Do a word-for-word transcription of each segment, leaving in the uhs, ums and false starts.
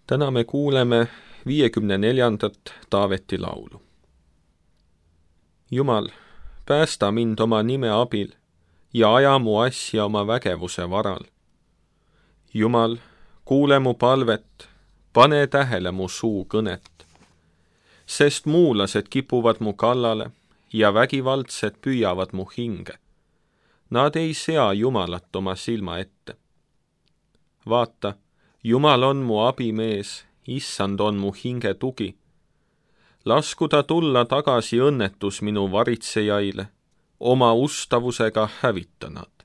Täna me kuuleme viiekümne neljandat Taaveti laulu. Jumal, päästa mind oma nime abil ja aja mu asja oma vägevuse varal. Jumal, kuule mu palvet, pane tähele mu suu kõnet, sest muulased kipuvad mu kallale ja vägivaldsed püüavad mu hinge. Nad ei sea Jumalat oma silma ette. Vaata, Jumal on mu abimees, issand on mu hinge tugi. Lasku ta tulla tagasi õnnetus minu varitsejaile, oma ustavusega hävita nad.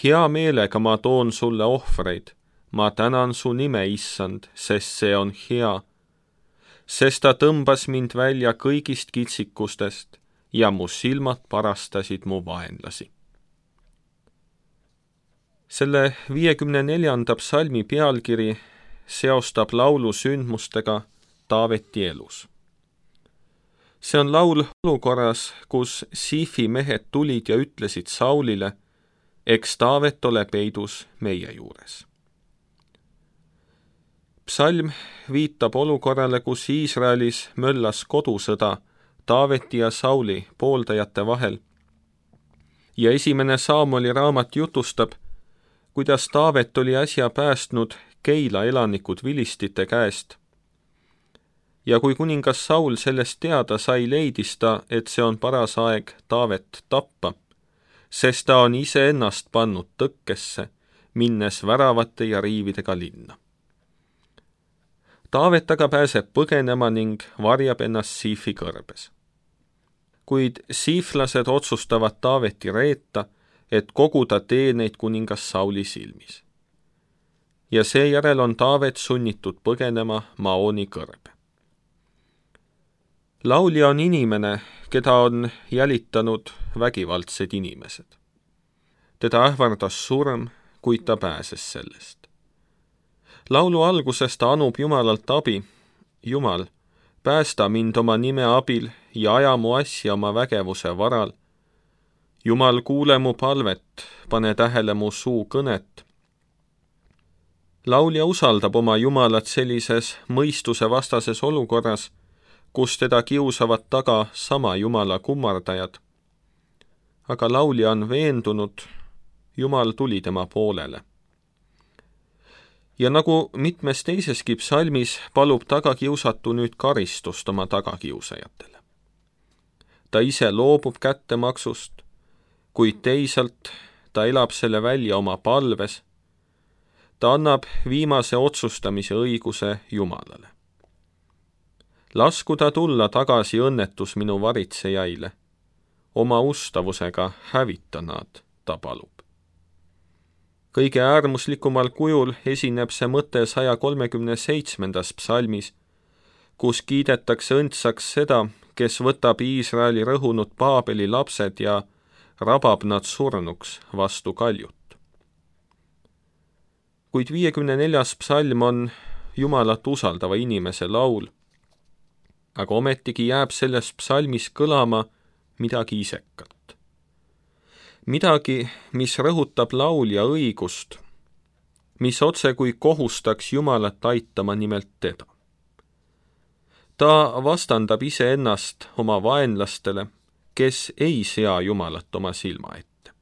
Hea meelega ma toon sulle ohvreid, ma tänan su nime, issand, sest see on hea, sest ta tõmbas mind välja kõigist kitsikustest ja mu silmad parastasid mu vaenlasi. Selle viiekümne neljanda psalmi pealkiri seostab laulu sündmustega Taaveti elus. See on laul olukorras, kus Siifi mehed tulid ja ütlesid Saulile, eks Taavet ole peidus meie juures. Psalm viitab olukorrale, kus Iisraelis möllas kodusõda Taaveti ja Sauli pooldajate vahel. Ja esimene Saamoli raamat jutustab, kuidas Taavet oli äsja päästnud Keila elanikud vilistite käest. Ja kui kuningas Saul sellest teada sai, leidis ta, et see on paras aeg Taavet tappa, sest ta on iseennast pannud tõkkesse, minnes väravate ja riividega linna. Taavet aga pääseb põgenema ning varjab ennast Siifi kõrbes. Kuid siiflased otsustavad Taaveti reeta, et koguda teeneid kuningas Sauli silmis. Ja seejärel on Taavet sunnitud põgenema Maoni kõrbe. Laulja on inimene, keda on jälitanud vägivaldsed inimesed. Teda ähvardas surm, kuid ta pääses sellest. Laulu alguses ta anub Jumalalt abi. Jumal, päästa mind oma nime abil ja aja mu asja oma vägevuse varal. Jumal, kuule mu palvet, pane tähele mu suu kõnet. Laulja usaldab oma Jumalat sellises mõistuse vastases olukorras, kus teda kiusavad taga sama Jumala kummardajad. Aga laulja on veendunud, Jumal tuli tema poolele. Ja nagu mitmes teiseski psalmis, palub tagakiusatu nüüd karistust oma tagakiusajatele. Ta ise loobub kättemaksust, kuid teisalt ta elab selle välja oma palves. Ta annab viimase otsustamise õiguse Jumalale. Lasku ta tulla tagasi õnnetus minu varitsejaile. Oma ustavusega hävita nad, ta palub. Kõige äärmuslikumal kujul esineb see mõte saja kolmekümne seitsmendas psalmis, kus kiidetakse õndsaks seda, kes võtab Iisraeli rõhunud Paabeli lapsed ja rabab nad surnuks vastu kaljut. Kuid viiekümne neljas psalm on Jumalat usaldava inimese laul, aga ometigi jääb selles psalmis kõlama midagi isekat. Midagi, mis rõhutab laulja õigust, mis otse kui kohustaks Jumalat aitama nimelt teda. Ta vastandab iseennast oma vaenlastele, kes ei sea Jumalat oma silma ette.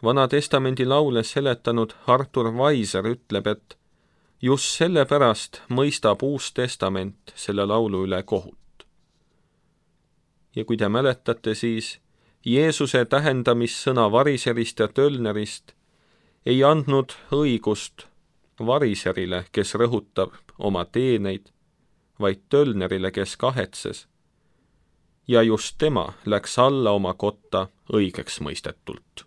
Vana testamendi laule seletanud Artur Weiser ütleb, et just sellepärast mõistab Uus Testament selle laulu üle kohut. Ja kui te mäletate, siis Jeesuse tähendamissõna variserist ja tölnerist ei andnud õigust variserile, kes rõhutab oma teeneid, vaid tölnerile, kes kahetses. Ja just tema läks alla oma kotta õigeks mõistetult.